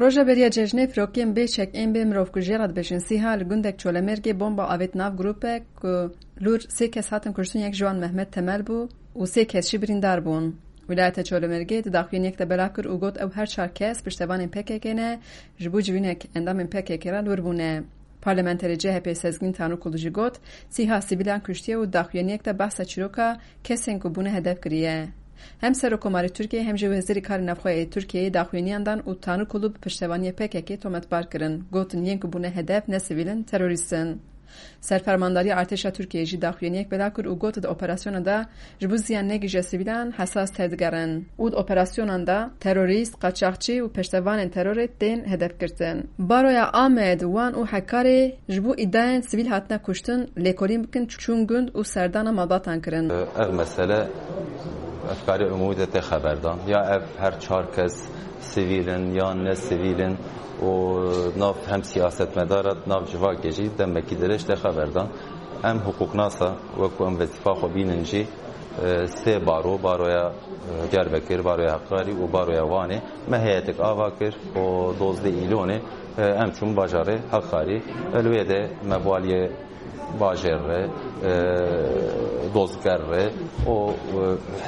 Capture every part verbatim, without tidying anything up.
Roja beriya cejnê pirokên bê çek ên bê mirovkujiyê re dibêjin. Sîha li gundek Çolemêrgê bomba avêt nav grûpek ku lûr sê kes hatin kuştin, yek ji wan Mehmet Temel bû û sê kes jî birîndar bûn. Wîlayeta Çolemêrgê di daxuyaniyek de belav kir û got ew her çar kes piştevanên P K K ne, ji bo civînek endamên P K K re lûr bûne. Parlamenterê C H P Sezgîn Tanrıkulu jî got, sîha sivîlan kuştiye û daxuyaniyek de behsa çîroka kesên ku bûne hedef kiriye. Hem Serokkomarê Tirkiyê hem jî Wezîrê Karê Navxwe yê Tirkiyeyê daxuyaniyan dan û Tanrıkulu bi piştevaniyê P K K tometbar kirin. Gotin, yên ku bûne hedef ne sivîl in, terorîst in. Serfermandariya Artêşa Tirkiyeyê jî daxuyaniyek belav kir û got, di operasyona de ji bo ziyan negihîje sivîlan hesas tevdigerin û di operasyonan de terorîst, qaçaxçî û piştevanên terorê tên hedef girtin. Baroya Amed, Wan û Hekarê ji bo îdiayên sivîl hatine kuştin lêkolîn bikin, çûn gund û serdana malbatan kirin. Ev mesele efkarê umûmî de tê xeberdan. Ya ev her çar kes sivîl in yan ne sivîl in û nav hem siyasetmedara, nav civakê jî demekî dirêj tê xeberdan. Em hiqûqnasa, wekû em wezîfa xwe bînin jî, e, sê baro, baroya, e, Diyarbekir, baroya Heqarî û baroya Wanê me heyetek ava kir û dozdeh Îlonê, e, em çûn bajarê Heqarî. E, li wê de me bi waliyê bajêr re, e, dozger re û, e,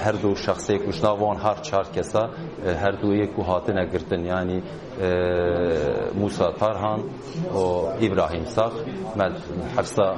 her du şexsê ku ji nav wan har çar kesa, e, her du yê ku hatine girtin, yanî, e, Musa Tarhan û Îbrahîm Sax me hepsa,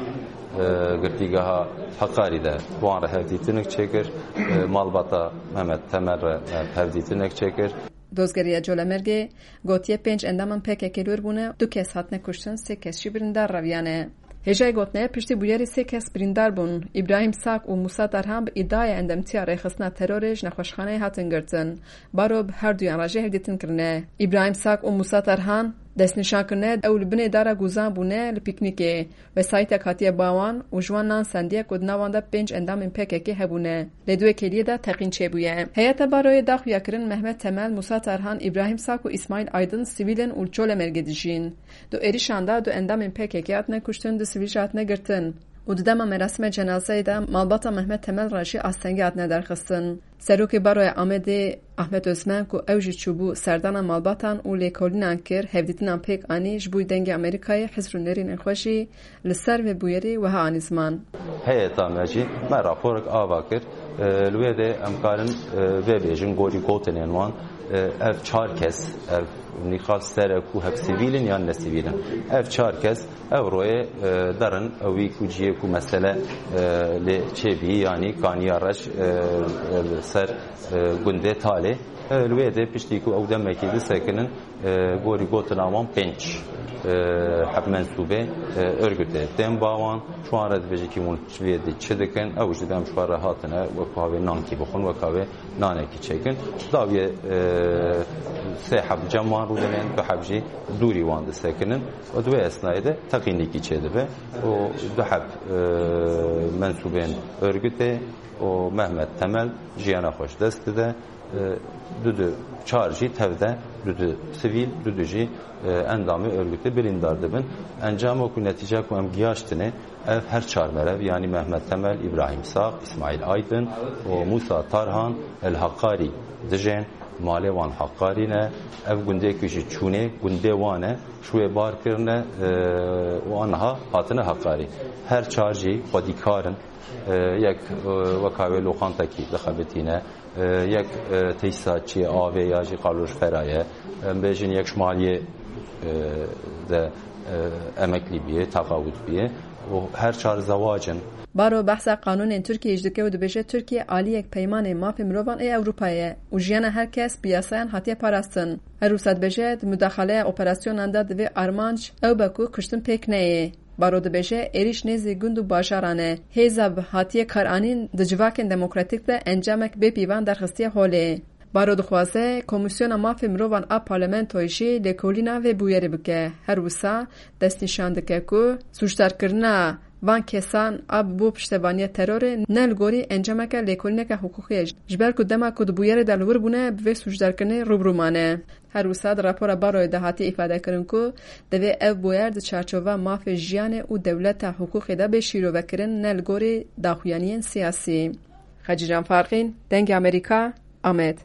e, girtîgeha Heqarî de wan re hevdîtinek çêkir, e, malbata Mehmet Temel re me hevdîtinek çêkir. Dozgeriya Colemêrgê gotiye pênc endamên P K K lûr bûne, du kes hatine kuştin, sê kes jî birîndar reviyane. Hêjayê gotinê, piştî bûyerê sê kes birîndar bûn. Îbrahîm Sak û Musa Tarhan bi îdiaya endamtiya rêxistina terorê ji nexweşxaneyê hatin girtin. Baro bi herduyan re jî hevdîtin kirine. Îbrahîm Sak û Musa Tarhan destnîşan kirine, ew li binê dara Guzan bûne li pîknîkê. Wesayîtek hatiye ba wan û ji wan nan sendiye ku di nav wan de pênc endamên P K K hebûne. Lê di wê kêliyê de teqîn çêbûye. Heyeta baroyê da xuyakirin Mehmet Temel, Musa Tarhan, Îbrahîm Sak û Îsmaîl Aydin sivîl in û li Colemêrgê dijîn. Di êrişan de du endamên P K K hatine kuştin, du sivîl jî hatine girtin. Û di dema merasîma cenazeyê de malbata Mehmet Temel re jî astengî hatine derxistin. Serokê Baroya Amedê Ahmet Özmen ku ew jî çûbû serdana malbatan û lêkolînan kir, hevdîtinan pêk anî, ji bo Dengê Amerîkayê hizr û nêrînên xwe jî li ser vê bûyerê wiha anî ziman. Heyeta me jî me raporek ava kir. E, li wê de em karin, e, vê bêjin gorî gotinên wan, e, ev çar kes, ev nîqaş ser e ku hevsivîl in yan nesivîl in. Ev çar kes ev royê, e, derin ewî ku ciyê ku mesele, e, lê çêbî, yanî Kaniya Reş, e, e, ser, e, gundê Talê. E, li wê de piştî ku ew demekî disekinin, e, gorî gotina wan pênc, e, heb mensûbê, e, örgütê tên ba wan. Ji wan re dibêje kî hûn ji vê dî çi dikin? Ew jî dibê em ji xwe re hatine wek havê nankî bixwin, wek havê nanekî çêkin. Dawiyê, e, sê heb cem wan rûdinin, du heb jî dûrî wan disekinin. Û di wê esnayê de teqînîkî çêdibe û du heb, e, mensûbên örgütê û Mehmet Temel jiyana xwe ji dest dide. E, du du çar jî tev de, du du sivîl, du du jî, e, endamê örgütê birîndar dibin. Encama ku, netîca ku em giyaştine, ev her çar merev, yanî Mehmet Temel, Îbrahîm Sağ, Îsmaîl Aydin û Musa Tarhan el Hakarî dijên, malê wan Hakarî ne. Ev gundê ku ji çûnê gundê wan e, ji wê bar kirine, e, û aniha hatine Hakarî. Her çar jî xwedîkar in. E, yek, e, weka wê loqantekî dixebitîne, e, yek, e, tesîsatçiyê avê ya jî qalojfera ye, em bêjin yek ji maliyê, e, de, e, emeklî bûye, teqawit bûye û her çar zewac in. Baro behsa qanûnên Tirkiyeyê jî dike û dibêje, Tirkiye aliyek Peymanê Mafê Mirovan ê Ewropayê ye û jiyana her kes bi yasayan hatiye parastin. Her wisa dibêje, di mudaxaleya operasyonan de divê armanc ew be ku kuştin pêk neyê. Baro dibêje, êrîş nêzî gund û bajaran e. Hêza bi hatiye karanîn di civakên demokratîk de encamek bê pîvan derxistiye holê. Baro dixwaze Komîsyona Mafê Mirovan a Parlamentoyê jî lêkolîna vê bûyerê bike. Her wisa destnîşan dike ku sûcdarkirina van kesan a bi bo piştevaniya terorê ne li gorî encameke lêkolîneke hiqûqî ye, ji ber ku dema ku di bûyerê de li wir bûne, bi vê sûcdarkirinê rû bi rû mane. Her wisa di rapora Baroyê de hatiye îfadekirin ku divê ev bûyer di çarçova mafê jiyanê û dewleta hiqûqê de bê şîrovekirin, ne li gorî daxuyaniyên siyasî. Xecîcan Farqîn, Dengê Amerîka, Amed.